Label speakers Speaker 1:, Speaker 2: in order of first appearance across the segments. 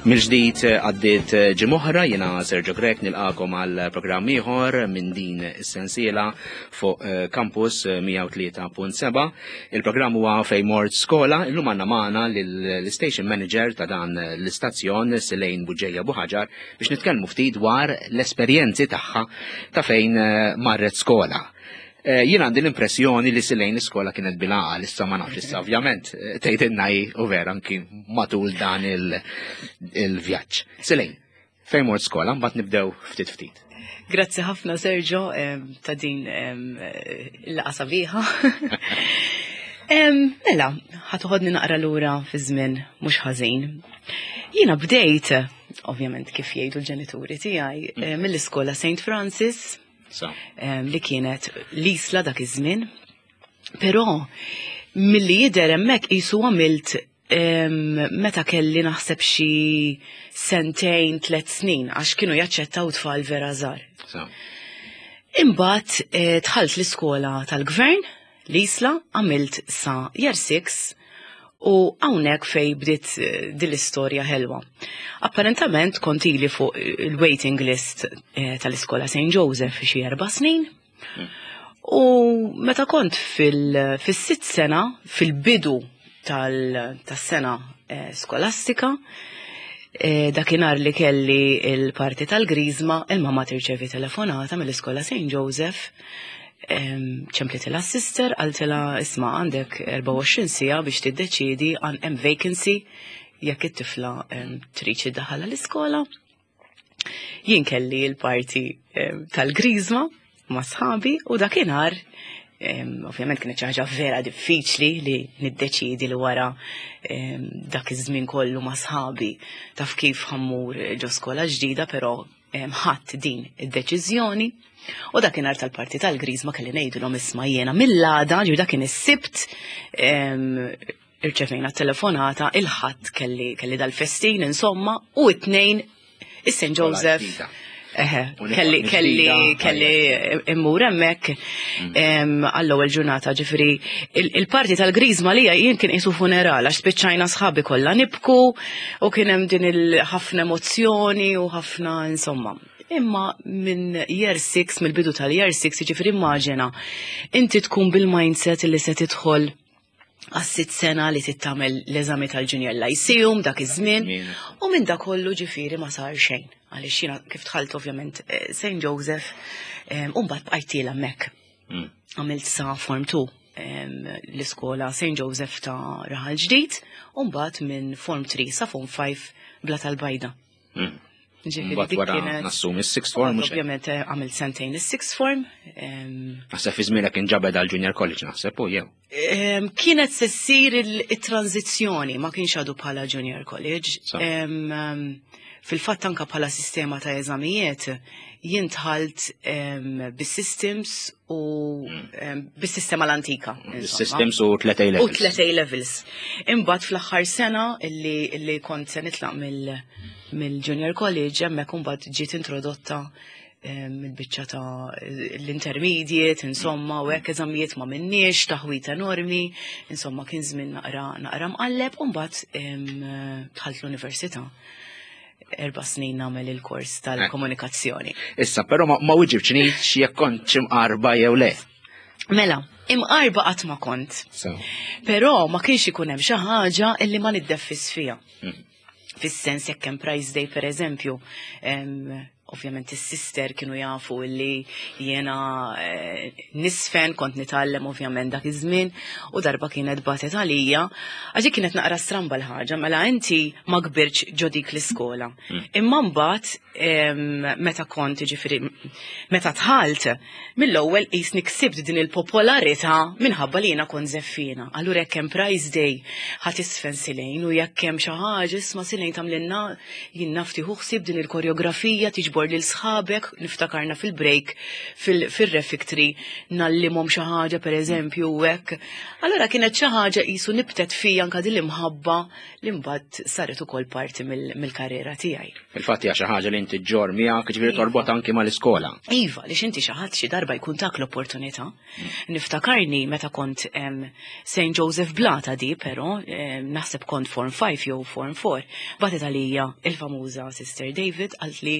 Speaker 1: Mill-ġdid eh, għaddiet eh, ġimgħa jiena Sergio Grech nilqakom għal programm ieħor minn din is-sensiela fuq eh, Campus 103.7. Il-programm huwa fejn mort skola, illum għandna magħna l-station manager ta' dan l-istazzjon Silejn Buġeja Buħaġar biex nitkellmu ftit dwar l-esperjenzi tagħha ta' fejn marret skola. Eh, jien għandi l-impressjoni li silejn l-iskola kienet bilaqal, issa ma nafx issa ovvjament eh, tgħidilna hi u vera anki matul dan il-vjaġġ. Silejn, fejn mort skola, mbagħad nibdew ftit ftit.
Speaker 2: Grazzi ħafna Sergio ta' din il-laqa sabiħa. Mela, ħatuħodni naqra lura fi żmien mhux ħażin. Jiena bdejt, ovvjament kif jgħidu l-ġenituri tiegħi, eh, mill-iskola St. Francis li kienet l-isla dak iż-żmien. Però milli jidher hemmhekk qisu għamilt meta kelli naħseb xi sentejn, tlet snin, għax kienu jaċċettaw tfal vera żgħar. Imbagħad eh, dħalt l-iskola tal-gvern L-Isla għamilt sa year 6 u hawnhekk fej bdiet eh, din l-istorja ħelwa. Apparentament kont ili fuq il-waiting list eh, tal-iskola St. Joseph xi erba' snin. Hmm. U meta kont fil-sitt sena, fil-bidu tas-sena eh, skolastika, dakinhar li kelli il-parti tal-Griżma, il-mama tirċevi telefonata mill-iskola St. Joseph ċemplitilha s-sister, qaltilha isma' għandek 24 siegħa biex tiddeċiedi għan hemm vacancy jekk it-tifla trid iddaħħalha l-iskola. Jien kelli l-parti tal-griżma ma' sħabi u dakinhar ovvjament kienet xi ħaġa vera diffiċli li niddeċiedi li wara dak iż-żmien kollu ma' sħabi taf kif ħammur ġo skola ġdida, però ħadd din id-deċiżjoni u dakinhar tal-parti tal-griżma kelli ngħidilhom isma' jiena mill-għada, ġifieri dak kien is-Sibt, irċevejna telefonata, il-Ħadd kelli kelli dal-festin insomma u it-Tnejn is-St. Joseph. Eħe, kelli kelli kelli immur hemmhekk mm. għall-ewwel ġurnata, ġifieri il-parti tal-griżma li jien kien qisu funeral għax spiċċajna sħabi kollha nibku u kien hemm din il-ħafna emozzjoni u ħafna insomma. Imma minn year 6, mill-bidu tal-year 6, ġifieri immaġina, inti tkun bil-mindset li se tidħol għas-sitt sena li tittamel l-eżami tal-Junior Lyceum dak iż-żmien u minn dak kollu ġifieri ma sar xejn. Għaliex jiena kif dħalt ovvjament eh, St. Joseph eh, u mbagħad bqajt tiela hemmhekk. Mm. Għamilt sa Form 2 l-iskola St. Joseph ta' Raħal Ġdid u mbagħad minn Form 3 sa Form 5 Bla tal-Bajda.
Speaker 1: Mm. Ġifieri dik kienet. Nassumi s-sixth form.
Speaker 2: Ovvjament eh, għamilt sentejn is-sixth form.
Speaker 1: Naħseb fi żmienek kien ġabed għal junior college naħseb u jew.
Speaker 2: Kienet se ssir il-tranzizzjoni ma kienx għadu bħala junior college. Fil-fatt anka bħala sistema ta' eżamijiet jien dħalt bis-systems u mm. bis-sistema l-antika.
Speaker 1: Bis-systems u 3 A levels.
Speaker 2: U 3 A levels. Imbagħad fl-aħħar sena illi kont se nitlaq mill-Junior College hemmhekk imbagħad ġiet introdotta il-biċċa ta' l-intermediate, insomma, u hekk eżamijiet ma minniex, taħwit enormi, insomma kien żmien naqra naqra mqalleb u mbagħad dħalt l-università erba' snin nagħmel il-kors tal-komunikazzjoni.
Speaker 1: Issa, però ma wiġibx jekk kont imqarba jew le.
Speaker 2: Mela, imqarba qatt ma kont. Però ma kienx ikun hemm xi ħaġa illi ma niddeffis fiha. Hmm. Fis-sens jekk hemm Price Day pereżempju, ovvjament is-sister kienu jafu illi jiena eh, nisfen kont nitgħallem ovvjament dak iż-żmien u darba kienet batet għalija għax kienet naqra stramba l-ħaġa mela inti ma kbirtx ġo dik l-iskola. Hmm. Imma mbagħad meta kont ġifieri meta dħalt mill-ewwel qisni ksibt din il-popolarità minħabba li jiena kont żeffiena. Allura jekk hemm prize day ħa tisfen Silejn u jekk hemm xi ħaġa isma' Silejn tagħmlilna jien naf tieħu ħsieb din il-koreografija tiġbor. tiġbor lil sħabek, niftakarna fil-break, fil-refectory, ngħallimhom xi ħaġa pereżempju u hekk. Allura kienet xi ħaġa qisu nibtet fija anka din l-imħabba li mbagħad saret ukoll parti mill-karriera tiegħi.
Speaker 1: Fil-fatt hija xi ħaġa li inti ġġorr miegħek, ġifieri iva. torbot anki mal-iskola.
Speaker 2: Iva, li inti xi ħadd xi darba jkun tak l-opportunità. Niftakarni meta kont St. Joseph Blata di, però naħseb kont Form 5 jew Form 4, batet għalija il-famuża Sister David qalt li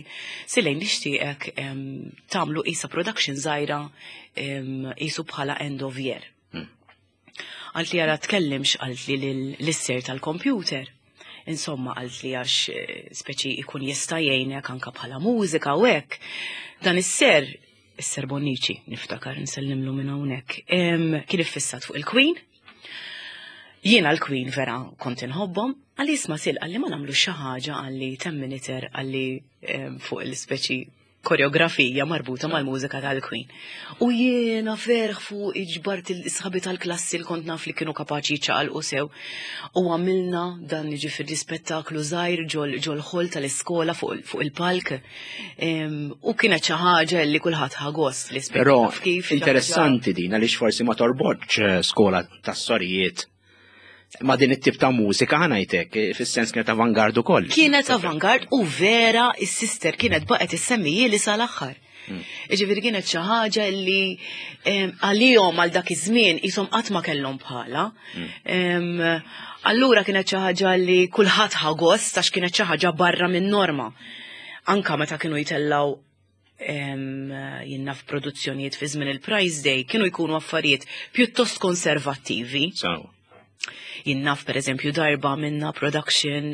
Speaker 2: Silejn nixtieqek tagħmlu isa production żgħira isu bħala end of year. Għalt li għara tkellimx għalt li l-isser tal-computer. Insomma, għalt li għax eh, speċi ikun jista' jgħinek anka bħala mużika u hekk. Dan is-ser, is-ser Bonnici, niftakar nsellimlu minn hawnhekk, kien iffissat fuq il-Queen. Jiena l-Queen vera kont inħobbhom, għalli isma' sil għalli ma nagħmlu xi ħaġa għalli ten miniter għalli fuq il-speċi koreografija marbuta mal-mużika tal-Queen. U jiena ferħ fuq iġbart il-sħabi tal-klassi li kont naf li kienu kapaċi ċaqalqu sew. U għamilna dan jiġifieri spettaklu żgħir ġol ħol tal-iskola fuq il-palk. U kienet xi ħaġa li kulħadd ħa gost li
Speaker 1: Però interessanti din għaliex forsi ma torbotx eh, skola tas-sorijiet ma din it-tip ta' mużika ħa ngħidlek, eh, fis-sens kienet avangard ukoll.
Speaker 2: Kienet avangard u vera is-sister kienet baqgħet issemmi li sal-aħħar. Ġifieri kienet xi ħaġa li għalihom għal dak iż-żmien qishom qatt ma kellhom bħala. Allura kienet xi ħaġa li kulħadd ħa gost għax kienet xi ħaġa barra minn norma. Anka meta kienu jitellaw jien naf produzzjonijiet fi żmien il-Prize Day kienu jkunu affarijiet pjuttost konservattivi. Jien naf per eżempju darba minna production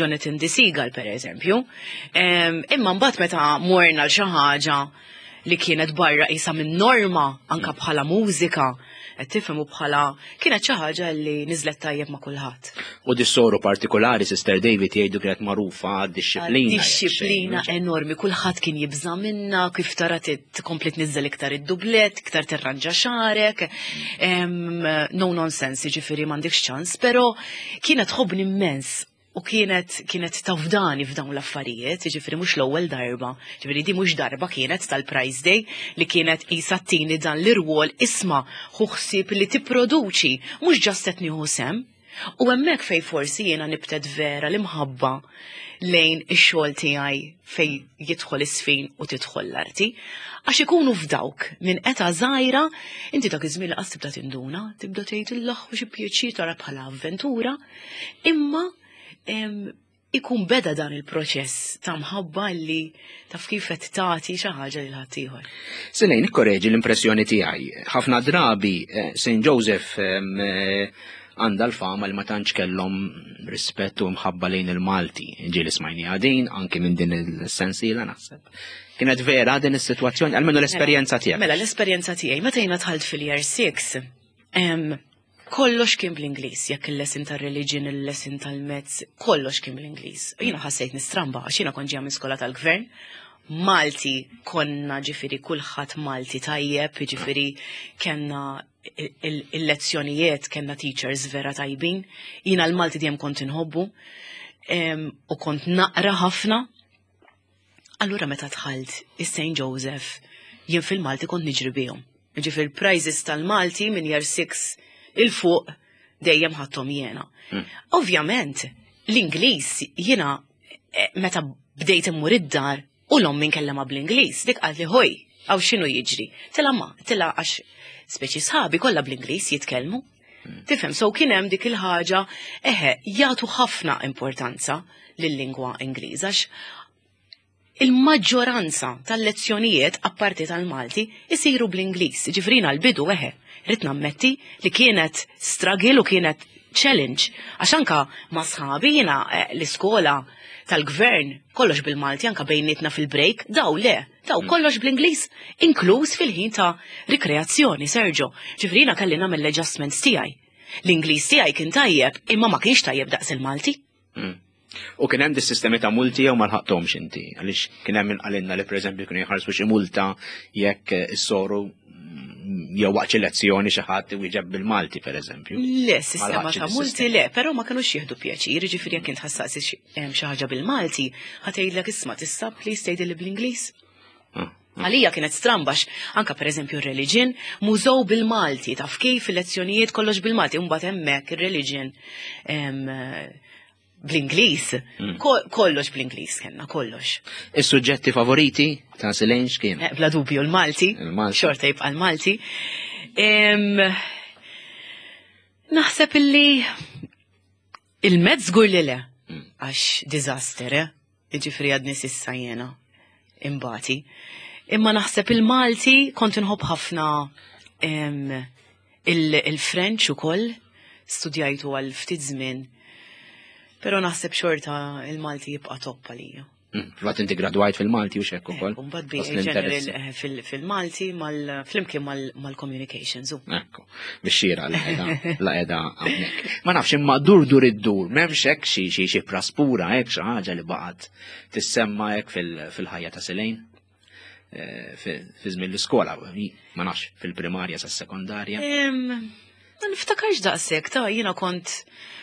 Speaker 2: Jonathan the Seagull per eżempju. Imma mbagħad meta morna l xi ħaġa li kienet barra isa minn norma anka bħala mużika, qed tifhem u bħala kienet xi ħaġa li niżlet tajjeb ma' kulħadd.
Speaker 1: U dis-soru partikolari, Sister David, jgħidu kienet magħrufa għad-dixxiplina.
Speaker 2: Dixxiplina enormi, kulħadd kien jibża' minna, kif tara tkompli tniżżel iktar id-dublet, iktar tirranġa xagħrek. No nonsense, jiġifieri m'għandekx ċans, però kienet tħobbni immens u kienet tafdani f'dawn l-affarijiet, jiġifieri mhux l-ewwel darba. Ġifieri di mhux darba kienet tal-Prize Day li kienet qisha ttini dan l-irwol isma' ħu ħsieb li tipproduċi, mhux just qed nieħu sem. U hemmhekk fej forsi jiena nibtet vera l-imħabba lejn ix-xogħol tiegħi fej jidħol is-sfin u tidħol l-arti. Għax ikunu f'dawk minn età żgħira, inti dak iż-żmien li qas tibda tinduna, tibda tgħid il-laħ xi pjaċir tara bħala avventura, imma ikun beda dan il-proċess ta' mħabba li taf kif qed tagħti xi ħaġa lil ħaddieħor.
Speaker 1: Sinejn, ikkoreġi l-impressjoni tiegħi. Ħafna drabi St. Joseph għandha l-fama li ma tantx kellhom rispett u mħabba lejn il-Malti. Ġieli smajni għadin, anki minn din il-sensiela naħseb. Kienet vera din is-sitwazzjoni, almenu l-esperjenza tiegħek.
Speaker 2: Mela, l-esperjenza tiegħi, meta jiena dħalt fil-year 6, kollox kien bl-Ingliż, jekk il-lesson tal-religion, il-lesson tal-maths, kollox kien bl-Ingliż. Jiena ħassejt nistramba, għax jiena kont ġejja minn skola tal-gvern, Malti konna ġifieri kulħadd Malti tajjeb, ġifieri kellna il-lezzjonijiet, kellna teachers vera tajbin. Jiena l-Malti dejjem kont inħobbu u kont naqra ħafna. Allura meta dħalt is-St. Joseph, jien fil-Malti kont niġri bihom. Ġifieri prizes tal-Malti minn year 6 'il fuq dejjem ħadthom jiena. Ovvjament, l-Ingliż jiena meta bdejt immur id-dar u l-ommi nkellema bl-Ingliż, dik qalt li ħoj, għaw x'inhu jiġri. Tila ma, tila għax speċi sħabi kollha bl-Ingliż jitkellmu. Tifhem, so kien hemm dik il-ħaġa, eħe, jagħtu ħafna importanza lil-lingwa Ingliż għax il-maġġoranza tal-lezzjonijiet apparti tal-Malti isiru bl-Ingliż. Ġifieri l-bidu eħe, rrid nammetti li kienet struggle u kienet challenge. Għax anka ma' sħabi jiena l-iskola tal-gvern kollox bil-Malti anka bejnietna fil-break, daw le, daw kollox bl-Ingliż, inkluż fil-ħin ta' rikreazzjoni, Sergio. Ġifieri jiena kelli nagħmel l-adjustments tiegħi. L-Ingliż tiegħi kien tajjeb, imma ma kienx tajjeb daqs il-Malti.
Speaker 1: U kien hemm dis-sistemi ta' multi jew ma lħaqthomx inti, għaliex kien hemm min qalilna li pereżempju kienu jħarsu xi multa jekk is-soru jew waqt xi lezzjoni xi ħadd iwieġeb bil-Malti pereżempju.
Speaker 2: Le, sistema ta' multi le, però ma kinux jieħdu pjaċir, jiġifieri jekk int ħassaqsi xi ħaġa bil-Malti, ħatgħidlek isma' tista' please tgħidilli bl-Ingliż. Ah, ah. Għalija kienet strambax, anka per eżempju religion, mużow bil-Malti, taf kif il-lezzjonijiet kollox bil-Malti, mbagħad hemmhekk ir-religion bl-Ingliż, mm. kollox bl-Ingliż kellna, kollox.
Speaker 1: Is-suġġetti favoriti ta' Silene x'kien?
Speaker 2: Eh, bla dubju l-Malti, xorta jibqa' l-Malti. Naħseb illi il-mezz żgur li le, mm. għax disaster, eh? Jiġifieri għadni sissa jiena imbati. Imma naħseb il-Malti kont inħobb ħafna il-French ukoll, studjajtu għal ftit żmien. Però naħseb xorta il-Malti jibqa' top għalija.
Speaker 1: Fil-fatt inti gradwajt fil-Malti u xekk ukoll.
Speaker 2: Mbagħad BA General eh, fil-Malti flimkien mal-communications.
Speaker 1: Ekku, biex xira la qiegħda hawnhekk. Ma nafx imma dur dur id-dur, m'hemmx hekk xi xi xi praspura hekk xi ħaġa li baqgħet tissemma hekk fil-ħajja ta' Selejn. Eh, fi żmien l-iskola, ma nafx fil-primarja sa sekondarja.
Speaker 2: Ma niftakarx daqshekk, ta' jiena kont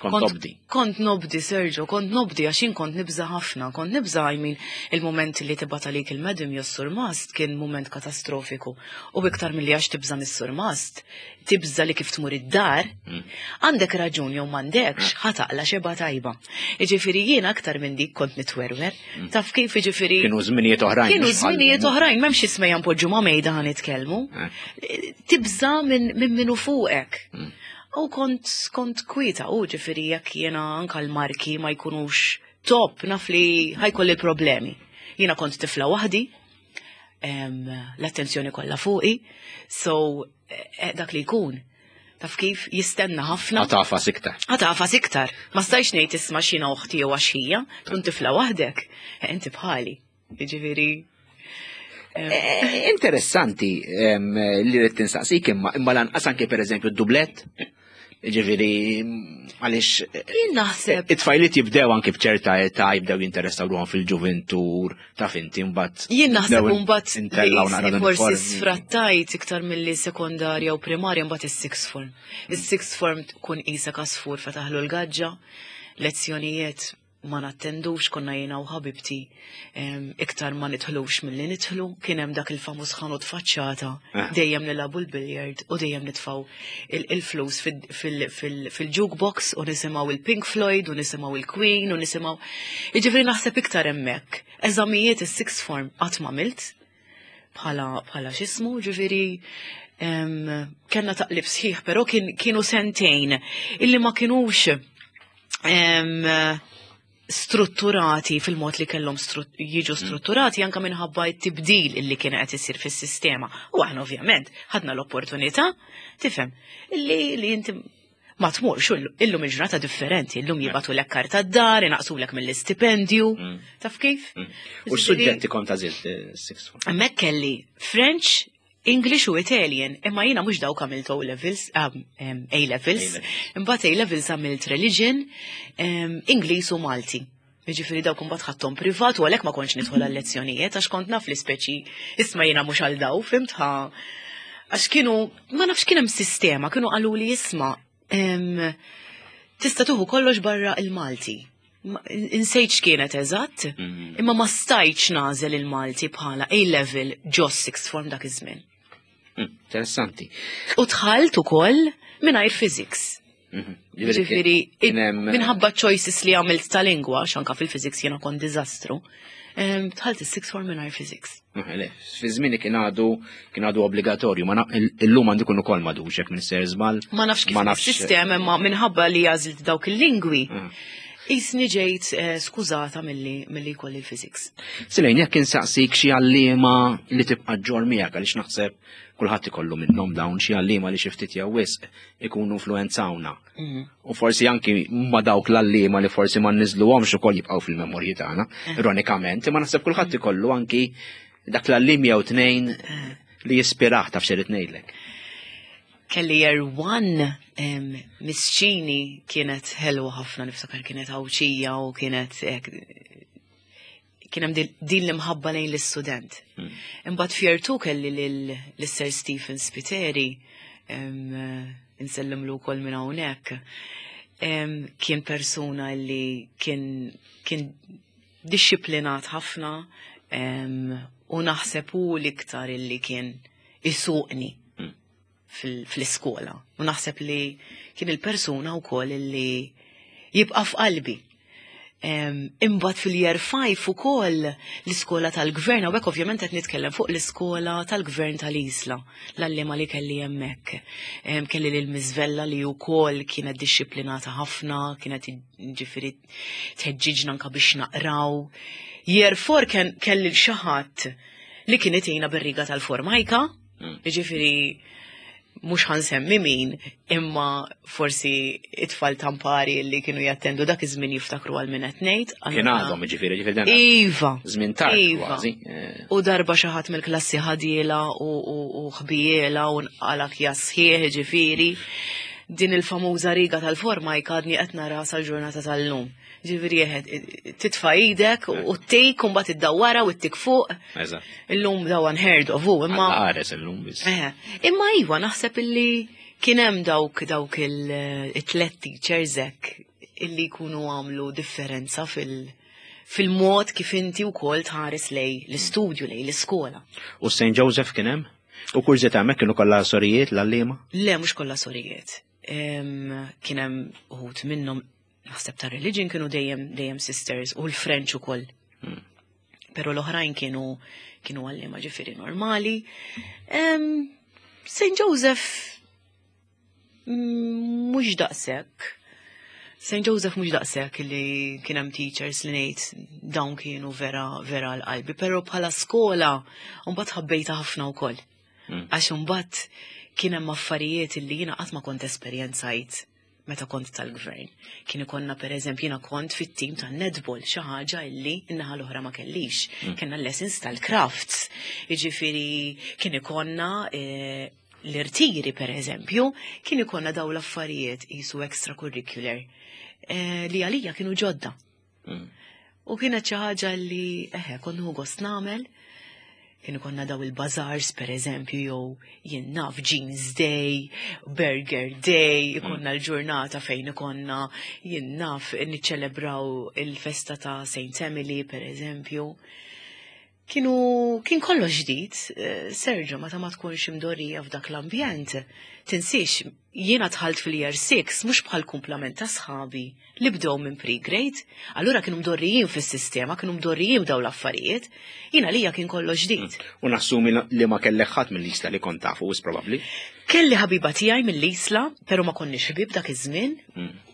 Speaker 1: kont nobdi.
Speaker 2: Kont nobdi, Sergio, kont nobdi għax jien kont nibża ħafna, kont nibża I mean il-moment li tibgħat għalik il-madam jew surmast kien moment katastrofiku. U iktar milli għax tibża mis-surmast, tibża li kif tmur id-dar, mm. għandek raġun jew m'għandekx, mm. ħataqla xeba tajba. Jiġifieri jien aktar minn dik kont nitwerwer, mm. taf kif jiġifieri.
Speaker 1: Kienu żminijiet oħrajn.
Speaker 2: Kienu żminijiet oħrajn, m'hemmx ismejja npoġġu ma' mejda ħa nitkellmu. Eh. Tibża minn min minu fuqek. U kont kont kwieta u ġifieri jekk jiena anka l-marki ma jkunux top naf li ħajkolli problemi. Jiena kont tifla waħdi, l-attenzjoni kollha fuqi, so eh, dak li jkun taf kif jistenna ħafna.
Speaker 1: Għatafas iktar.
Speaker 2: Għatafas iktar. Ma stajx ngħid isma' xina uħti jew għax tkun tifla waħdek, eh, inti bħali. Jiġifieri
Speaker 1: eh, Interessanti li rrid tinsaqsik imma imma lanqas anke pereżempju d-dublett. Ġifieri għaliex
Speaker 2: Jien naħseb.
Speaker 1: It-tfajliet jibdew anke b'ċerta età jibdew jinteressaw ruħhom fil-ġuventur ta' finti mbagħad.
Speaker 2: Jien naħseb mbagħad forsi sfrattajt iktar milli sekondarja u primarja mbagħad is-sixth form. Is-sixth form tkun qisek għasfur fetaħlu l-gaġġa, lezzjonijiet ma nattendux konna jiena u ħabibti iktar ma nidħlux milli nidħlu, kien hemm dak il-famuż ħanut faċċata, eh. dejjem nilagħbu l-billiard u dejjem nitfgħu il-flus fil-jukebox u nisimgħu il-Pink Floyd u nisimgħu il-Queen u nisimgħu. Jiġifieri naħseb iktar hemmhekk. Eżamijiet is-sixth form qatt ma milt bħala bħala x'ismu, ġifieri kellna taqlib sħiħ, però kienu sentejn illi ma kinux strutturati fil-mod li kellhom jiġu mm. strutturati anka minħabba t-tibdil illi kien qed isir fis-sistema. U aħna ovvjament ħadna l-opportunità, tifhem, illi li inti ma tmurx illum il-ġurnata differenti, illum jibatu l karta d-dar, inaqsulek mill-istipendju, mm. taf kif?
Speaker 1: Mm. U s-suġġetti kont għażilt eh, six
Speaker 2: form? Hemmhekk kelli French, English u Italian, imma jiena mhux dawk għamilt O levels, um, um, A levels, imbagħad A levels għamilt religion, um, Ingliż u Malti. Jiġifieri dawk imbagħad ħadthom privat u għalhekk ma kontx nidħol għal lezzjonijiet għax kont naf li speċi isma' jiena mhux għal daw, fimt ħa. Għax kienu, ma nafx kien hemm sistema, kienu qalu li isma' tista' tuħu kollox barra il-Malti. Insejt x'kienet eżatt, mhm. imma ma stajtx nażel il-Malti bħala A-level ġo sixth form dak iż-żmien.
Speaker 1: Hmm, interessanti.
Speaker 2: U dħalt ukoll mingħajr physics. Mhm. Ġifieri, minħabba choices li għamilt ta' lingwa, xanka fil-physics jiena kont diżastru, dħalt is-sixth form mingħajr physics.
Speaker 1: Fi żmieni kien għadu kien għadu obbligatorju, ma illum għandu jkun ukoll madux hekk minn ser żball.
Speaker 2: Ma nafx kif sistema imma minħabba li għażilt dawk il-lingwi. Ah. Isni ġejt eh, skużata milli milli jkolli l-physics.
Speaker 1: Silejn, jekk insaqsik xi għalliema li tibqa' ġor miegħek għaliex naħseb kulħadd ikollu minnhom dawn xi għalliema li xi ftit jew wisq ikunu influenzawna. Mhm. U forsi anki ma dawk l-għalliema li forsi ma nniżluhomx ukoll jibqgħu fil-memorji tagħna, eh. ironikament, imma naħseb kulħadd ikollu anki dak l-għalliem jew tnejn eh. li jispirah taf xerid ngħidlek.
Speaker 2: Kelli year one misċini kienet ħelwa ħafna niftakar kienet għawċija u kienet Kien hemm din l-imħabba lejn l-istudent. Imbagħad f'year 2 kelli lil Sir Stephen Spiteri, insellimlu wkoll minn hawnhekk. Kien persuna li kien kien dixxiplinat ħafna u naħseb hu l-iktar illi kien isuqni fl-iskola. U naħseb li kien il-persuna wkoll illi jibqa' f'qalbi. Imbagħad fil-year 5 ukoll l-iskola tal-gvern, hawnhekk ovvjament qed nitkellem fuq l-iskola tal-gvern tal-Isla, l-għalliema li kelli hemmhekk. Kelli lil Miss Vella li wkoll kienet dixxiplinata ħafna, kienet ġifieri tħeġġiġna anka biex naqraw. Year 4 kelli xi ħadd li kien itina bir-riga tal-formajka, ġifieri mhux ħa nsemmi min, imma forsi it-tfal tampari li kienu jattendu dak iż-żmien jiftakru għal min qed ngħid.
Speaker 1: Kien għadhom, ġifieri, ġifieri dan.
Speaker 2: Iva.
Speaker 1: Żmien tard
Speaker 2: Iva.
Speaker 1: kważi.
Speaker 2: U darba xi ħadd mill-klassi ħadiela u ħbiela u nqalak jasħieħ, ġifieri. Din il-famuża riga tal-forma jkadni qed nara sal-ġurnata tal-lum. Ġifieri jeħed titfa' idek u ttik u mbagħad iddawwara u ttik fuq. Illum daw unheard of, u imma.
Speaker 1: Għares illum biss.
Speaker 2: Eħe. Imma iva naħseb illi kien hemm dawk il-tlet teachers hekk illi jkunu għamlu differenza fil-mod kif inti wkoll tħares lej l-istudju, lej l-iskola.
Speaker 1: U St. Joseph kien hemm? U kurżità hemmhekk kienu kollha sorijiet l-għalliema?
Speaker 2: Le, mhux kollha sorijiet. Kien hemm uħud minnhom naħseb ta' religion kienu dejjem sisters u l-French ukoll. Pero l-oħrajn kienu għalliema ġifieri normali. St. Joseph mhux daqshekk. St. Joseph mhux daqshekk li kien hemm teachers li ngħid dawn kienu vera vera l-qalbi, però bħala skola mbagħad ħabbejta ħafna wkoll. Għax imbagħad kien hemm affarijiet li jiena qatt ma kont esperjenzajt meta kont tal-gvern. Kien ikonna per eżempju jiena kont fit-tim tan-netball, xi ħaġa illi n-naħa l-oħra ma kellix. Kellna lessons tal-crafts. Jiġifieri kien ikonna l-irtiri per eżempju, kien ikonna daw l-affarijiet jisu extracurricular li għalija kienu ġodda. U kienet xi ħaġa li eħe kont nieħu gost nagħmel. Kien ikonna daw il-bazars per eżempju, jew jien naf Jeans Day, Burger Day, ikonna l-ġurnata fejn ikonna jien naf niċċelebraw il-festa ta' Saint Emily per eżempju. Kien kollox ġdid, Sergio, meta ma tkunx imdorrija f'dak l-ambjent, tinsiex, jiena dħalt fil-year 6 mhux bħal kumplament ta' sħabi li bdew minn pre-grade, allura kienu mdorrijin fis-sistema, kienu mdorrijin b'daw l-affarijiet, jiena lija kien kollox ġdid.
Speaker 1: U nassumi li ma kellek ħadd mill-Isla li kont tafu, wis probabbli?
Speaker 2: Kelli ħabiba tiegħi mill-Isla, però ma konniex ħbieb dak iż-żmien,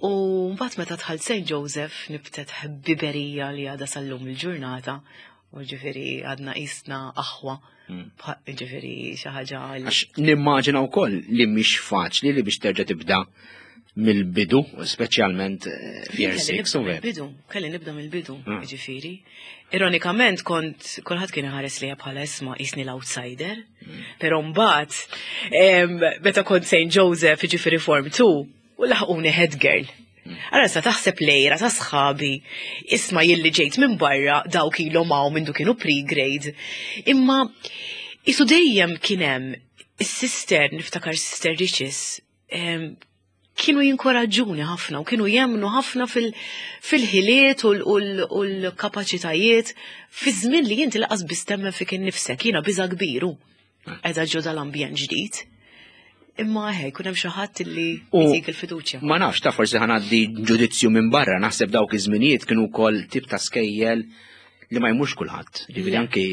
Speaker 2: u mbagħad meta dħalt St. Joseph nibtet ħbiberija li għadha sal-lum il-ġurnata, u ġifieri għadna qisna aħwa. Ġifieri xi ħaġa li
Speaker 1: Għax nimmaġina wkoll li mhix faċli li biex terġa' tibda mill-bidu, speċjalment f'year
Speaker 2: Kelli
Speaker 1: 6,
Speaker 2: nibda
Speaker 1: u ver.
Speaker 2: mill-bidu, kelli nibda mill-bidu, ġifieri. Ironikament kont kulħadd kien iħares lejja bħala isma' qisni l-outsider, però mbagħad meta kont St. Joseph, ġifieri Form 2, u laħquni head girl. Allora sa taħseb lejra ta' sħabi, isma' jilli ġejt minn barra dawk ilhom hawn minn kienu pre-grade. Imma isu dejjem kien hemm is-sister, niftakar Sister Riches, kienu jinkoraġġuni ħafna u kienu jemnu ħafna fil-ħiliet u l-kapaċitajiet fi żmien li inti laqas biss temmen fik innifsek, jiena biża' kbiru. Qiegħda ġo dal-ambjent ġdid. Imma eħe, jkun hemm xi ħadd li
Speaker 1: U
Speaker 2: jtik il-fiduċja.
Speaker 1: Ma nafx, ta' forsi ħa ngħaddi ġudizzju minn barra, naħseb dawk iż-żminijiet kienu wkoll tip ta' skejjel li ma jmurx kulħadd. Ġifieri
Speaker 2: Le.
Speaker 1: anki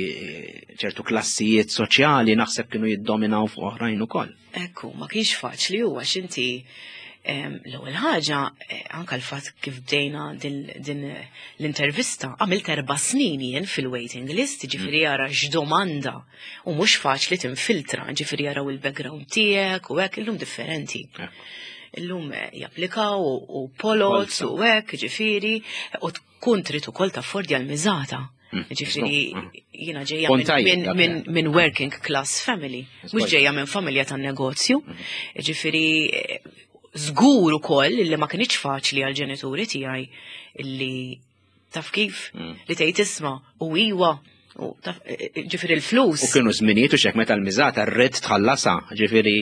Speaker 1: ċertu klassijiet soċjali naħseb kienu jiddominaw fuq oħrajn ukoll.
Speaker 2: Ekku, ma kienx faċli huwa għax inti l-ewwel ħaġa, anka l-fatt kif bdejna din l-intervista, għamilt 4 snin jien fil-waiting list, ġifieri jara x'domanda u mhux faċli tinfiltra, ġifieri jaraw il-background tiegħek u hekk, illum differenti. Illum japplikaw u polots u hekk, ġifieri, u tkun trid ukoll taffordja l-miżata. Ġifieri, jiena ġejja
Speaker 1: Kont tajjeb dak il-ħin.
Speaker 2: minn working class family, mhux ġejja minn familja tan-negozju. Ġifieri, żgur ukoll li ma kinitx faċli għall-ġenituri tiegħi illi Taf kif? Li tgħid isma' u iwa, u taf e, e, ġifieri l-flus.
Speaker 1: U kienu żminijiet u xek meta l-miżata rrid tħallasha, ġifieri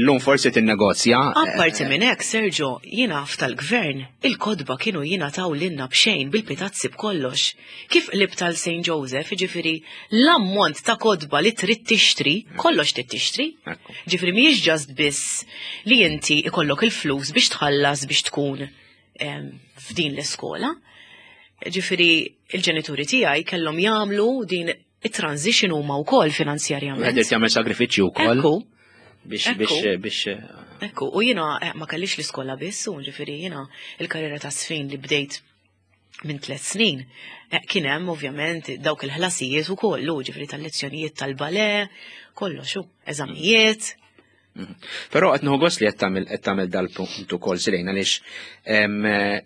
Speaker 1: llum forsi tinnegozja.
Speaker 2: Apparti minn hekk, Sergio, jiena tal-gvern, il-kotba kienu jingħataw lilna b'xejn bil-pitazzi b'kollox. Kif qlibt għal St. Joseph, ġifieri l-ammont ta' kotba li trid tixtri, kollox trid tixtri. Ġifieri mhijiex just biss li inti ikollok il-flus biex tħallas biex tkun f'din l-iskola. Ġifieri il-ġenituri tiegħi kellhom jagħmlu din it-transition huma wkoll finanzjarjament.
Speaker 1: Qed jagħmel sagrifiċċju wkoll.
Speaker 2: Ekku.
Speaker 1: Biex biex biex.
Speaker 2: Ekku, u jiena eh, ma kellix l-iskola biss, u ġifieri jiena il-karriera ta' sfin li bdejt minn tlet snin. Eh, kien hemm ovvjament dawk il-ħlasijiet ukoll, ġifieri tal-lezzjonijiet tal-bale, kollox, eżamijiet.
Speaker 1: Però qed nieħu gost li qed tagħmel qed tagħmel dal-punt ukoll Silejn għaliex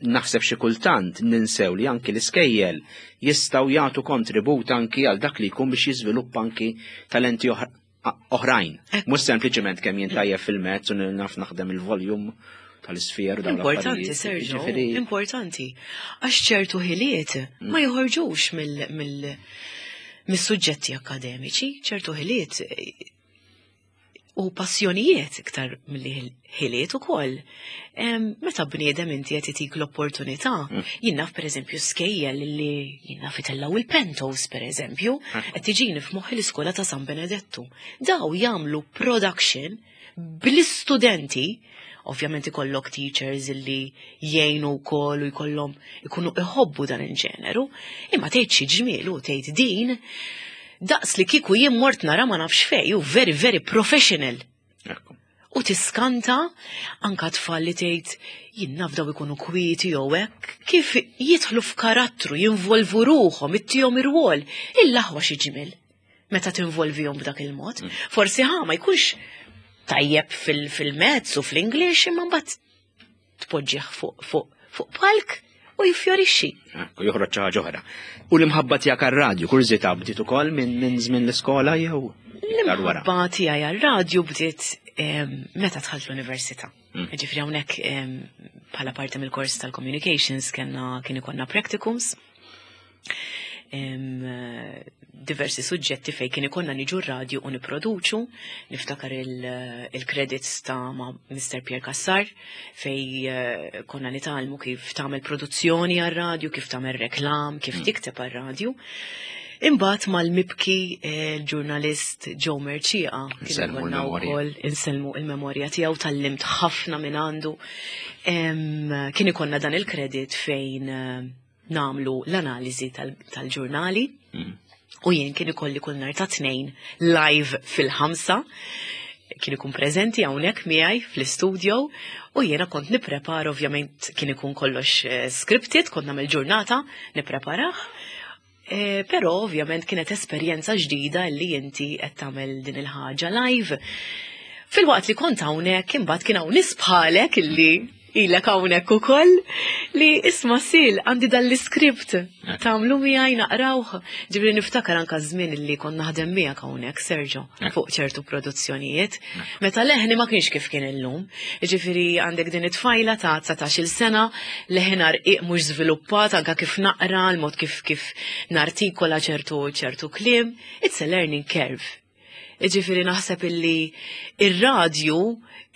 Speaker 1: naħseb xi kultant ninsew li anki l-iskejjel jistgħu jagħtu kontribut anki għal dak li jkun biex jiżviluppa anki talenti oħrajn. Mhux sempliċement kemm jien tajjeb fil-mezz u naf naħdem il-volume tal-isfjer
Speaker 2: dawn Importanti, Sergio, importanti. Għax ċertu ħiliet mm. ma joħorġux mill mis-suġġetti akademiċi, ċertu ħiliet u passjonijiet iktar milli ħiliet ukoll. Meta bniedem inti qed itik l-opportunità, mm. jien naf pereżempju skejjel li jien naf itellaw il-pentos pereżempju, mm. qed tiġini f'moħħi l-iskola ta' San Benedettu. Daw jagħmlu production bl-istudenti ovvjament ikollok teachers illi jgħinu wkoll u jkollhom ikunu iħobbu dan il-ġeneru, imma tgħid xi ġmiel u tgħid din daqs li kieku jien mort nara ma nafx fej, u very very professional. U tiskanta anka tfal li tgħid jien naf daw ikunu kwieti jew hekk, kif jidħlu f'karattru, jinvolvu ruħhom, ittihom ir-rwol, il-aħwa xi ġmiel meta tinvolvihom b'dak il-mod. Mm. Forsi ħa ma jkunx tajjeb fil-mezz u fl-English imma mbagħad tpoġġih fuq fuq fuq palk u jiffjorixxi.
Speaker 1: U joħroġ xi ħaġa oħra. U l-imħabba tiegħek għar-radju, kurżità bdiet ukoll minn żmien l-iskola jew
Speaker 2: L-imħabba tiegħi għar-radju bdiet meta dħalt l-università. Mm. Ġifieri hawnhekk bħala parti mill-kors tal-communications kellna kien ikollna practicums diversi suġġetti fej kien ikonna niġu r-radju u niproduċu, niftakar il-credits ta' ma' Mr. Pierre Cassar fej eh, konna nitgħallmu kif tagħmel produzzjoni għar-radju, kif tagħmel reklam, kif mm. tikteb għar-radju. Imbagħad mal-mibki eh, l-ġurnalist Joe Merċieqa kien konna wkoll insellmu il-memorja tiegħu tallimt ħafna minn għandu. Kien ikollna dan il-kredit fejn eh, nagħmlu l-analiżi tal-ġurnali. Mm. U jien kien ikolli kull nhar ta' tnejn live fil-ħamsa kien ikun preżenti hawnhekk miegħi fl-istudio u jiena kont nipprepara ovvjament kien ikun kollox eh, scripted, kont nagħmel ġurnata nippreparah. Eh, però ovvjament kienet esperjenza ġdida li inti qed tagħmel din il-ħaġa live. Filwaqt li kont hawnhekk imbagħad kien hawn nies bħalek illi ilek hawnhekk ukoll li isma' sil għandi dan l-iskript tagħmlu miegħi naqrawh. Ġifieri niftakar anka żmien li kont naħdem miegħek hawnhekk Sergio fuq ċertu produzzjonijiet. Meta leħni ma kienx kif kien illum. Ġifieri għandek din it-tfajla ta' 19-il sena, leħinha rqiq mhux żviluppat anka kif naqra, l-mod kif kif nartikola ċertu ċertu kliem. It's a learning curve. Ġifieri naħseb illi ir-radju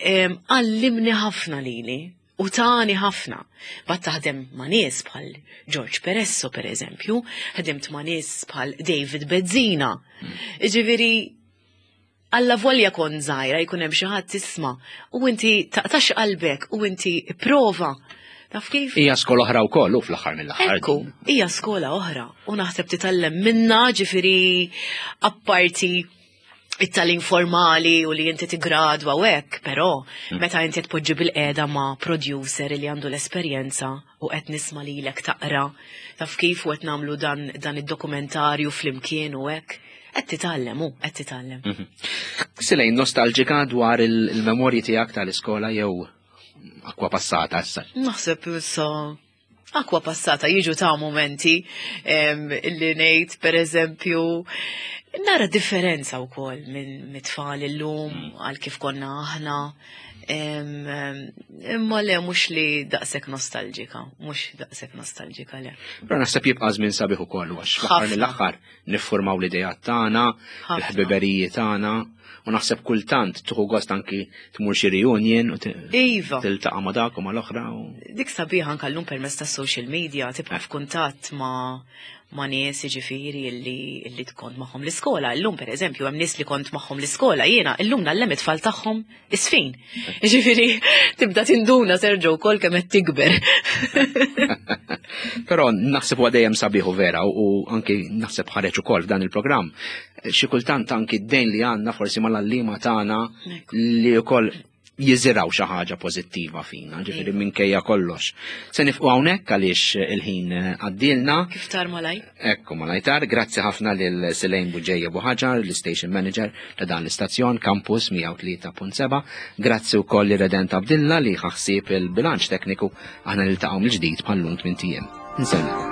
Speaker 2: għallimni ħafna lili u tani ħafna. Bat taħdem ma' nies bħal George Peresso per eżempju, ħdimt ma' nies bħal David Bezzina. Ġifieri alla volja kon żgħira jkun hemm xi ħadd tisma' u inti taqtax qalbek u inti prova. Taf kif?
Speaker 1: Hija skola oħra wkoll u fl-aħħar mill-aħħar.
Speaker 2: Ekku, hija skola oħra u naħseb titgħallem minna ġifieri apparti it-tagħlim formali u li inti tigradwa u hekk, però mm. meta inti tpoġġi bil-qiegħda ma' producer li għandu l-esperjenza u qed nisma' lilek taqra, taf kif u qed nagħmlu dan, dan id-dokumentarju flimkien u hekk, qed titgħallem u qed titgħallem.
Speaker 1: Mhm. Silejn nostalġika dwar il-memorji tiegħek tal-iskola jew akwa passata issa?
Speaker 2: Naħseb issa akwa passata jiġu ta' momenti illi ngħid pereżempju nara differenza wkoll minn mit-tfal illum mm. għal kif konna aħna. Imma le mhux li daqshekk nostalġika, mhux daqshekk nostalġika le.
Speaker 1: Però naħseb jibqa' żmien sabiħ ukoll għax fl-aħħar mill-aħħar niffurmaw l-idejat tagħna, il-ħbiberiji tagħna, u naħseb kultant tuħu gost anki tmur xi reunion u
Speaker 2: iva.
Speaker 1: tiltaqa' ma' dak u mal-oħra.
Speaker 2: Dik sabiħa anke llum permezz tas-social media tibqa' f'kuntatt ma' ma' nies jiġifieri illi illi kont magħhom l-iskola. Illum pereżempju hemm nies li kont magħhom l-iskola jiena illum ngħallem it-tfal tagħhom isfin. Jiġifieri tibda tinduna Sergio wkoll kemm qed tikber.
Speaker 1: Però naħseb huwa dejjem sabiħ u vera u anki naħseb ħareġ ukoll f'dan il-programm. Xi kultant anki d-dejn li għandna forsi mal-għalliema tagħna li wkoll jiżiraw xi ħaġa pożittiva fina, ġifieri minkejja kollox. Se nifqu hawnhekk għaliex il-ħin għaddielna.
Speaker 2: Kif tar malaj?
Speaker 1: Ekku malajtar, grazzi ħafna lil Selejn Buġeja Buħaġar, l-station manager ta' dan l-istazzjon Campus 103.7. Grazzi wkoll li Redent Abdilla li ħaħsib il-bilanċ tekniku aħna niltaqgħu mill-ġdid bħal-lum tmien ijiem. Nsellem.